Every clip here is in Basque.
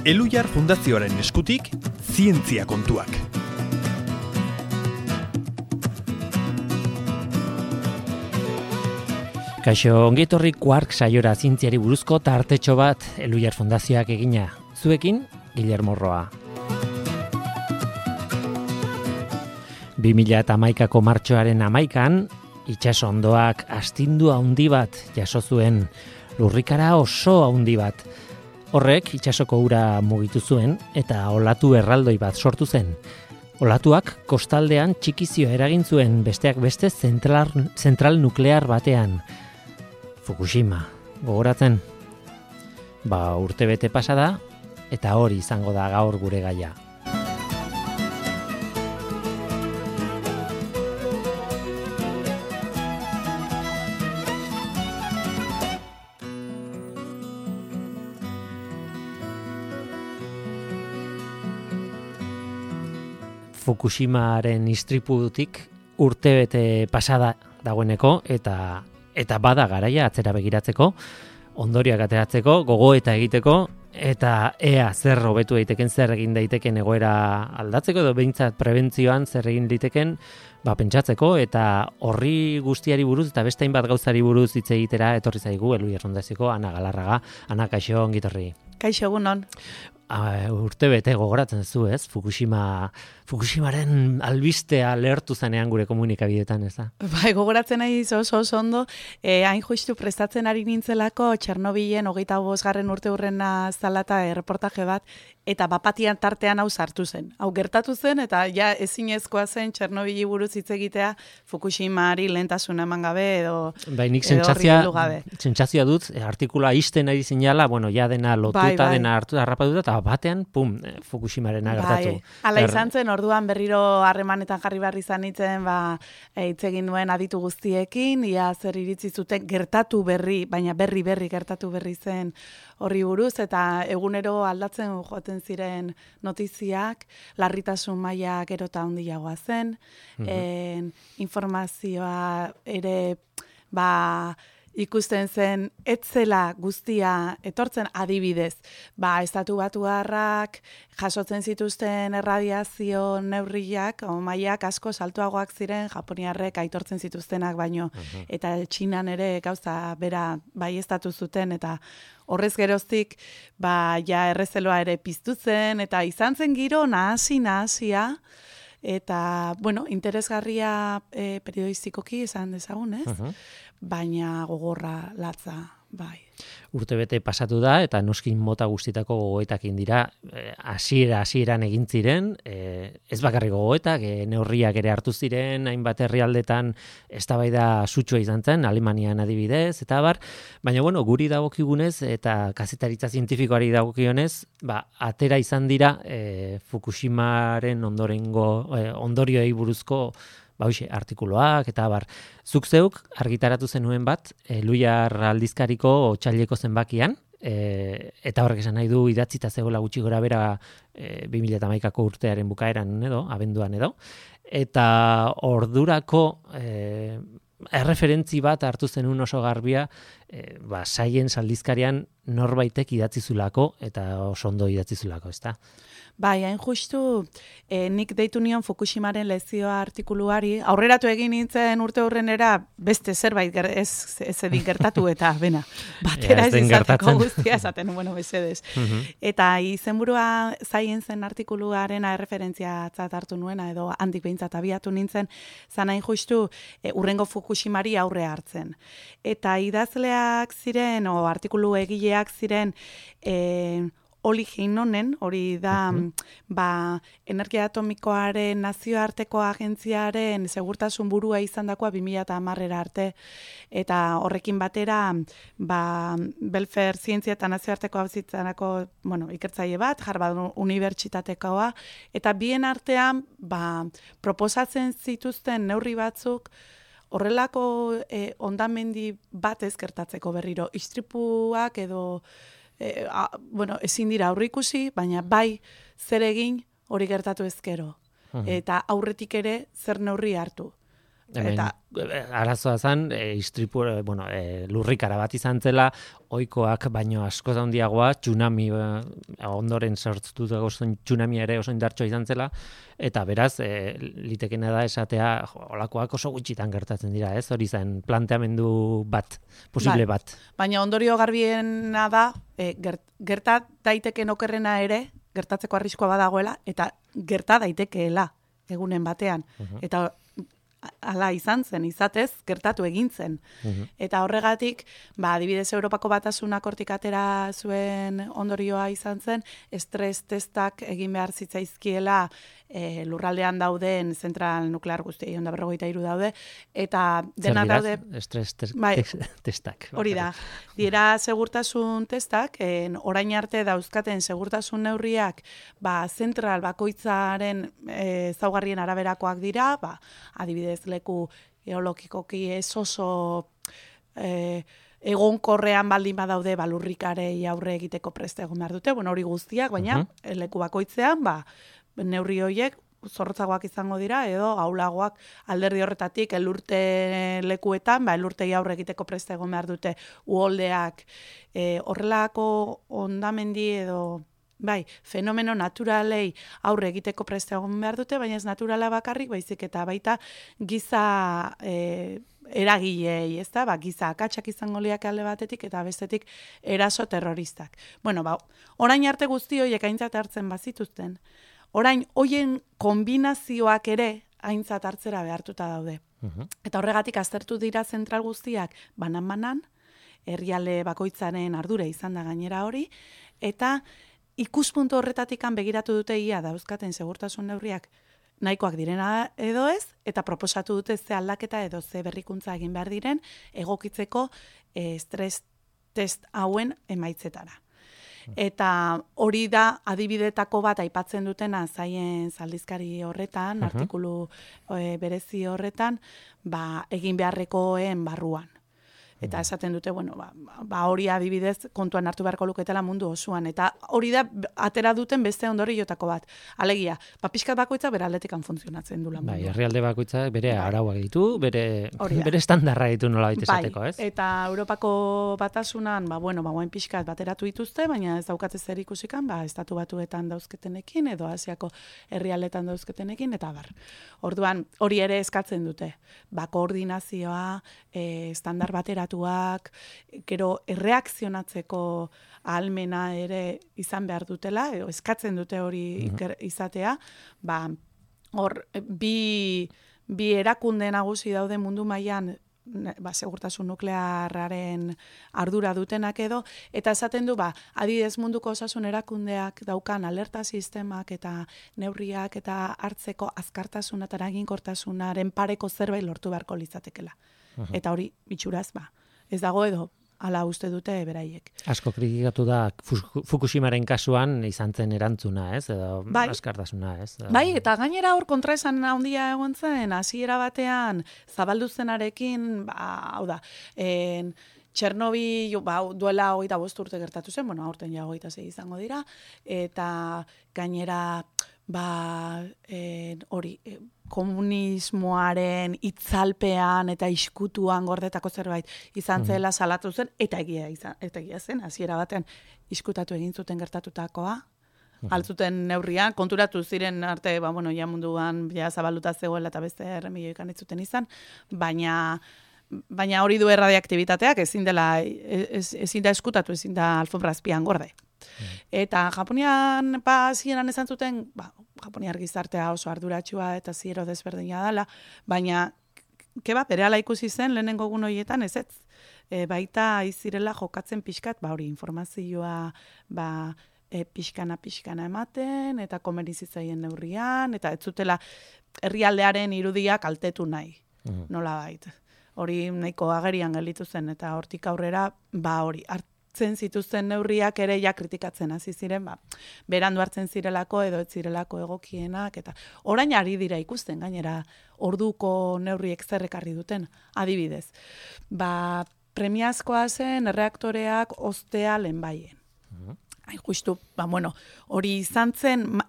Elhuyar Fundazioaren eskutik, zientzia kontuak. Kaixo, ongietorri Quark saiora zientziari buruzko tartetxo bat Elhuyar Fundazioak egina. Zuekin, Guillermo Roa. 2011ko martxoaren 11an, itsaso hondoak astindu handi bat jaso zuen, lurrikara oso handi bat. Horrek itsasoko ura mugitu zuen eta olatu erraldoi bat sortu zen. Olatuak kostaldean txikizio eragin zuen, besteak beste zentral nuklear batean. Fukushima, gogoratzen? Urtebete pasa da eta hori izango da gaur gure gaia. Fukushimaren istriputik urtebete pasada dagoeneko eta bada garaia atzera begiratzeko, ondorioak ateratzeko, gogoeta egiteko eta ea zer hobetu daiteken, zer egin daiteken egoera aldatzeko edo behintzat prebentzioan zer egin daiteken pentsatzeko eta horri guztiari buruz eta beste hainbat gauzari buruz hitz egitera etorri zaigu Elhuyar Fundazioko Ana Galarraga. Ana, kaixo, ongi etorri. Kaixo, egunon. Urtebete gogoratzen zu, ez? Fukushimaren albistea lehertu zanean gure komunikabideetan, ez da? Bai, gogoratzen nahi oso ondo, hain justu prestatzen ari nintzelako Txernobilen 25. urte hurrena zalata erreportaje bat, eta bapatian tartean hau sartu zen. Hau gertatu zen, eta ja ezinezkoa zen Txernobili buruz hitz egitea Fukushimari lehentasuna eman gabe edo nik sentsazioa dut, artikulua isten ari zinala, ja dena lotuta, dena harrapatuta, eta batean, Fukushimaren gertatu. Hala izan zen, orduan berriro harremanetan jarri behar izan nintzen, hitz egin duen aditu guztiekin, ia zer iritzi zuten gertatu berri, baina berri gertatu berri zen horri buruz, eta egunero aldatzen joaten ziren notiziak, larritasun maila gero eta handiagoa zen, informazioa ere, ikusten zen, etzela guztia etortzen adibidez. Estatu Batuarrak jasotzen zituzten erradiazio neurriak, mailak asko saltuagoak ziren, japoniarrek aitortzen zituztenak baino, eta Txinan ere gauza bera baieztatu zuten, eta horrez geroztik, ja errezeloa ere piztu zen, eta izan zen giro nahasia, eta, interesgarria periodistikoki izan dezagun, ez? Baina gogorra latza, bai. Urtebete pasatu da, eta noskin mota guztietako gogoetakin dira, hasieran egin ziren, ez bakarrik gogoetak, neurriak ere hartu ziren, hainbat herrialdetan eztabaida sutsua izan zen, Alemanian adibidez, eta baina guri dagokigunez, eta kazetaritza zientifikoari dagokionez, atera izan dira Fukushimaren ondorioei buruzko artikuloak, eta zuk zeuk argitaratu zenuen bat, Elhuyar aldizkariko otsaileko zenbakian, eta horrek esan nahi du idatzita zegoela gutxi gora bera 2011ko urtearen bukaeran edo, abenduan edo, eta ordurako erreferentzi bat hartu zenuen oso garbia, Science aldizkarian norbaitek idatzizulako, eta oso ondo idatzizulako, ezta? Hain justu, nik deitu nion Fukushimaren lezioa artikuluari, aurreratu egin nintzen urte hurrenera beste zerbait ez edin gertatu eta batera ez izateko guztia esaten, mesedez. Eta izenburua Scienceen artikuluaren erreferentziatzat hartu nuena, edo handik behintzat abiatu nintzen, zan hain justu urrengo Fukushimari aurre hartzen. Eta idazleak ziren, artikulu egileak ziren, Oli Heinonen, hori da energia atomikoaren nazioarteko agentziaren segurtasun burua izandakoa 2010 arte, eta horrekin batera Belfer zientzia eta nazioarteko auzitzanako ikertzaile bat, Harvard Unibertsitatekoa, eta bien artean proposatzen zituzten neurri batzuk horrelako hondamendi bat ezkertatzeko berriro, istripuak edo ezin dira aurreikusi, baina zer egin hori gertatu ezkero. Eta aurretik ere zer neurri hartu. Hemen, arazoa zen, istripu, lurrikara bat izan zela, ohikoak baino asko handiagoa, tsunami, ondoren sortutako tsunami ere oso indartsua izan zela, eta beraz, litekena da esatea, olakoak oso gutxitan gertatzen dira, ez? Hori zen planteamendu bat, posible bat. Baina ondorio garbiena da, gerta daiteken okerrena ere, gertatzeko arriskoa badagoela, eta gerta daitekeela egunen batean. Eta hala izan zen, izatez, gertatu egin zen. Eta horregatik, adibidez Europako Batasunak hortik atera zuen ondorioa izan zen, estres testak egin behar zitzaizkiela lurraldean dauden zentral nuklear guztiei, 153 daude, eta dena daude... Estres testak. Hori da, dira segurtasun testak, orain arte dauzkaten segurtasun neurriak, zentral bakoitzaren ezaugarrien araberakoak dira, adibidez leku geologikoki ez oso egonkorrean baldin badaude lurrikarei aurre egiteko preste egon behar dute, hori guztiak, baina leku bakoitzean, neurri horiek zorrotzagoak izango dira, edo gaulagoak alderdi horretatik elurte lekuetan, elurtei aurre egiteko preste egon behar dute uholdeak, horrelako ondamendi edo fenomeno naturalei aurre egiteko preste egon behar dute, baina ez naturala bakarrik, baizik eta baita giza eragilei, ez da? Giza akatsak izango liak alde batetik eta bestetik eraso terroristak. Orain arte guzti horiek aintzat hartzen bazituzten, orain hoien kombinazioak ere aintzat hartzera behartuta daude. Eta horregatik aztertu dira zentral guztiak banan-banan, herrialde bakoitzaren ardura izan da gainera hori, eta ikuspuntu horretatikan begiratu dute ia dauzkaten segurtasun neurriak nahikoak direna edo ez, eta proposatu dute ze aldaketa edo ze berrikuntza egin behar diren egokitzeko estres test hauen emaitzetara. Eta hori da adibidetako bat aipatzen dutena zaien aldizkari horretan, artikulu berezi horretan, egin beharrekoen barruan. Eta esaten dute, hori adibidez kontuan hartu beharko luketela mundu osoan. Eta hori da atera duten beste ondoriotako bat. Alegia, pixkat bakoitza bere aldetikan funtzionatzen du lan mundua. Herrialde bakoitza bere arauak ditu, bere estandarra ditu nola baita esateko, ez? Eta Europako Batasunan, guain pixkat bateratu dituzte, baina ez daukatez zer ikusikan, estatu batuetan dauzketenekin, edo Asiako herrialdetan dauzketenekin, eta bar. Orduan, hori ere eskatzen dute. Koordinazioa, estandar bateratuak, gero erreakzionatzeko ahalmena ere izan behar dutela, eskatzen dute hori izatea, hor bi erakunde nagusi daude mundu mailan segurtasun nuklearraren ardura dutenak edo, eta esaten du, adibidez munduko osasun erakundeak daukan alerta sistemak eta neurriak eta hartzeko azkartasuna eta eraginkortasunaren pareko zerbait lortu beharko litzatekela. Eta hori, itxuraz, ez dago edo, hala uste dute beraiek. Asko kritikatu da Fukushimaren kasuan izan zen erantzuna, ez? Edo askartasuna, ez? Eta gainera hor kontraesan handia egon zen, hasiera batean zabaldu zenarekin, hau da, Txernobil duela 25 urte gertatu zen, aurten ja 26 izango dira, eta gainera hori komunismoaren itzalpean eta iskutuan gordetako zerbait izan zela salatu zen, eta egia zen, hasiera batean iskutatu egin zuten gertatutakoa, altzuten neurrian, konturatu ziren arte, ja munduan zabalduta zegoela eta beste erremilioikan ez zuten izan, baina hori du erradiaktibitateak ezin da eskutatu, ezin da alfombra azpian gorde. Eta Japonian zieran esan zuten, Japoniar gizartea oso arduratsua eta ziero desberdina dela, baina berehala ikusi zen lehenengo egun horietan ez. Baita izirela jokatzen pixkat, hori informazioa pixkana ematen, eta komerizitzaien neurrian, eta ez zutela herrialdearen irudia kaltetu nahi, nola bait. Hori nahiko agerian gelditu zen, eta hortik aurrera, hori hartzen zituzten neurriak ere kritikatzen hasi ziren, berandu hartzen zirelako edo ez zirelako egokienak, eta orain ari dira ikusten, gainera orduko neurriek zerrekarri duten, adibidez. Premiazkoa zen erreaktoreak ostea lehenbaien. hain justu, hori izan zen,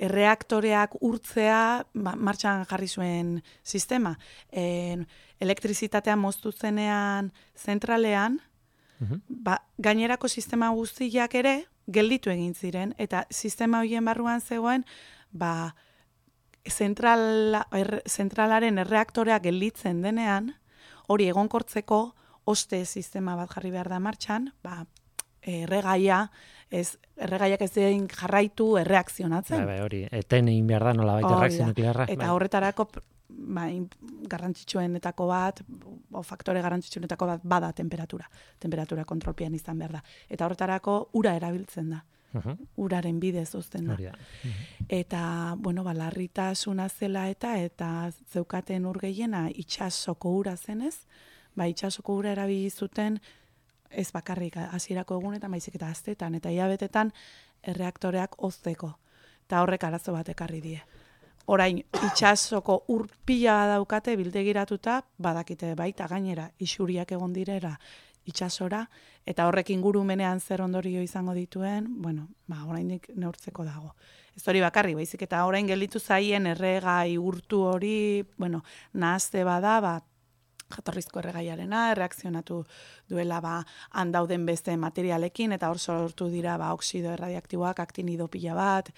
erreaktoreak urtzea martxan jarri zuen sistema. Elektrizitatea moztu zenean zentralean, gainerako sistema guztiak ere gelditu egin ziren, eta sistema horien barruan zegoen, zentralaren erreaktorea gelditzen denean, hori egonkortzeko oste sistema bat jarri behar da martxan, erregaiak ez den jarraitu erreakzionatzen. Hori, eten egin behar da nola baita erreakzio nuklearra. Eta horretarako garrantzitsuenetako bat, faktore garrantzitsuenetako bat bada temperatura kontrolpian izan behar da. Eta horretarako ura erabiltzen da. Uraren bidez uzten da. Eta, larritasuna zela eta zeukaten ur gehiena itsasoko ura zenez, itsasoko ura erabili zuten ez bakarrik hasierako egunetan, baizik eta astetan eta hilabetetan erreaktoreak hozteko. Eta horrek arazo bat ekarri die. Orain, itsasoko ur pila daukate bildegiratuta, badakite baita gainera isuriak egon direra itsasora, eta horrek ingurumenean zer ondorio izango dituen, oraindik neurtzeko dago. Ez hori bakarri, baizik eta orain gelditu zaien erregai urtu hori, nahazte bada, jatorrizko erregaiarena, erreakzionatu duela han dauden beste materialekin, eta hor sortu dira oksido erradiaktiboak, aktinido pila bat,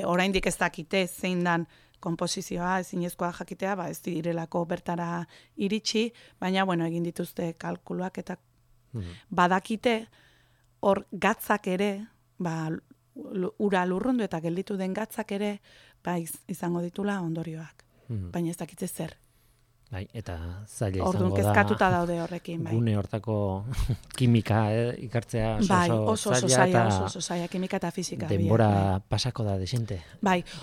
oraindik ez dakite zein dan konposizioa, ezinezkoa jakitea, ez direlako bertara iritsi, baina egin dituzte kalkuluak eta badakite hor gatzak ere, ura lurrundu eta gelditu den gatzak ere, izango ditula ondorioak. Baina ez dakite zer. Eta zaila izango da. Orduan kezkatuta daude horrekin. Gune hortako kimika ikartzea oso zaila, kimika eta fizika. Denbora pasako da desente.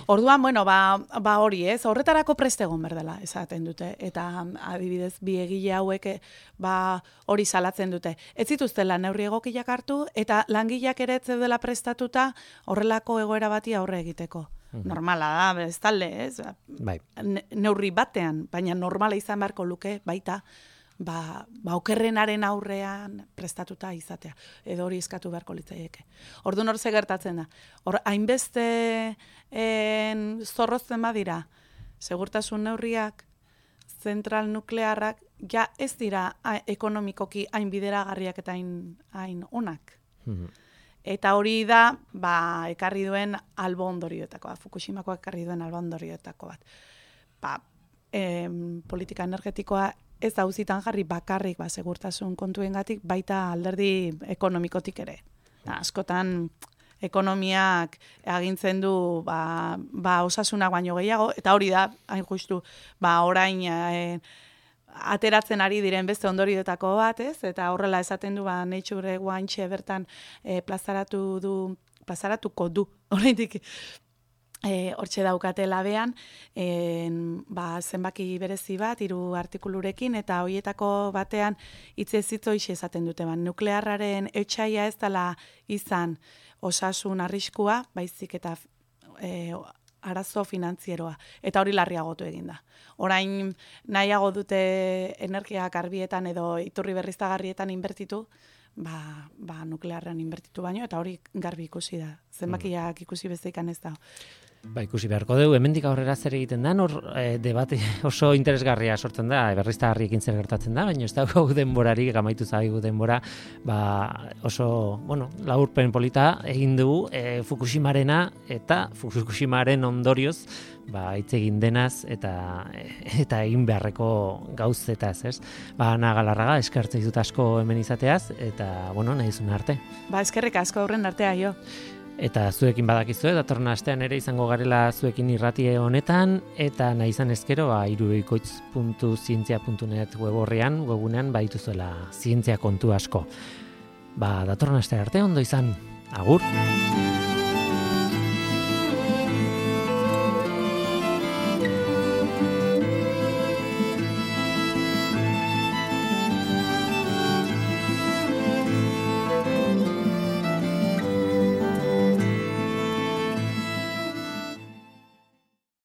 Orduan, hori ez, horretarako prest egon berdela, esaten dute. Eta adibidez, bi egile hauek hori salatzen dute. Ez zituztela neurri egokiak hartu, eta langileak ere ez dela prestatuta horrelako egoera bati aurre egiteko. Normala da, bestalde, ez? Neurri batean, baina normala izan beharko luke, baita, okerrenaren aurrean prestatuta izatea. Edo hori eskatu beharko litzaieke. Orduan hor ze gertatzen da. Hor, hainbeste zorrozten badira, segurtasun neurriak, zentral nuklearrak, ja ez dira ekonomikoki hain bideragarriak eta hain onak. Eta hori da, ekarri duen albo ondorioetako bat, Fukushimako ekarri duen albo ondorioetako bat. Politika energetikoa ez auzitan jarri bakarrik segurtasun kontuengatik, baita alderdi ekonomikotik ere. Askotan ekonomiak agintzen du osasunak baino gehiago, eta hori da, hain justu, orain ateratzen ari diren beste ondorioetako bat, ez? Eta horrela esaten du, Nature guantxe bertan plazaratuko du. Horreitik, hortxe daukate labean, zenbaki berezi bat, 3 artikulurekin, eta horietako batean hitzez hitz hoixe esaten dute. Nuklearraren etsaia ez dela izan osasun arriskua, baizik eta arazo finantzieroa, eta hori larriagotu egin da. Orain nahiago dute energia garbietan edo iturri berriztagarrietan inbertitu, nuklearrean inbertitu baino, eta hori garbi ikusi da. Zenbakiak ikusi bezeikan ez da. Ikusi beharko dugu, hemendik aurrera zer egiten da, debate oso interesgarria sortzen da, berriztagarriekin zer gertatzen da, baina ez dago denborarik, amaitu zaigu denbora, oso, laburpen polita egin dugu Fukushimarena eta Fukushimaren ondorioz, hitz egin denaz eta egin beharreko gauzetaz, ez? Ana Galarraga, eskertzen dut asko hemen izateaz, eta, nahi zuen arte. Eskerrik asko aurren artea, jo. Eta zuekin badakizue, datorren astean ere izango garela zuekin irratie honetan, eta nahi izan ezkero, irubikoitz.zientzia.net webunean badituzuela zientzia kontu asko. Datorren astean arte, ondo izan, agur!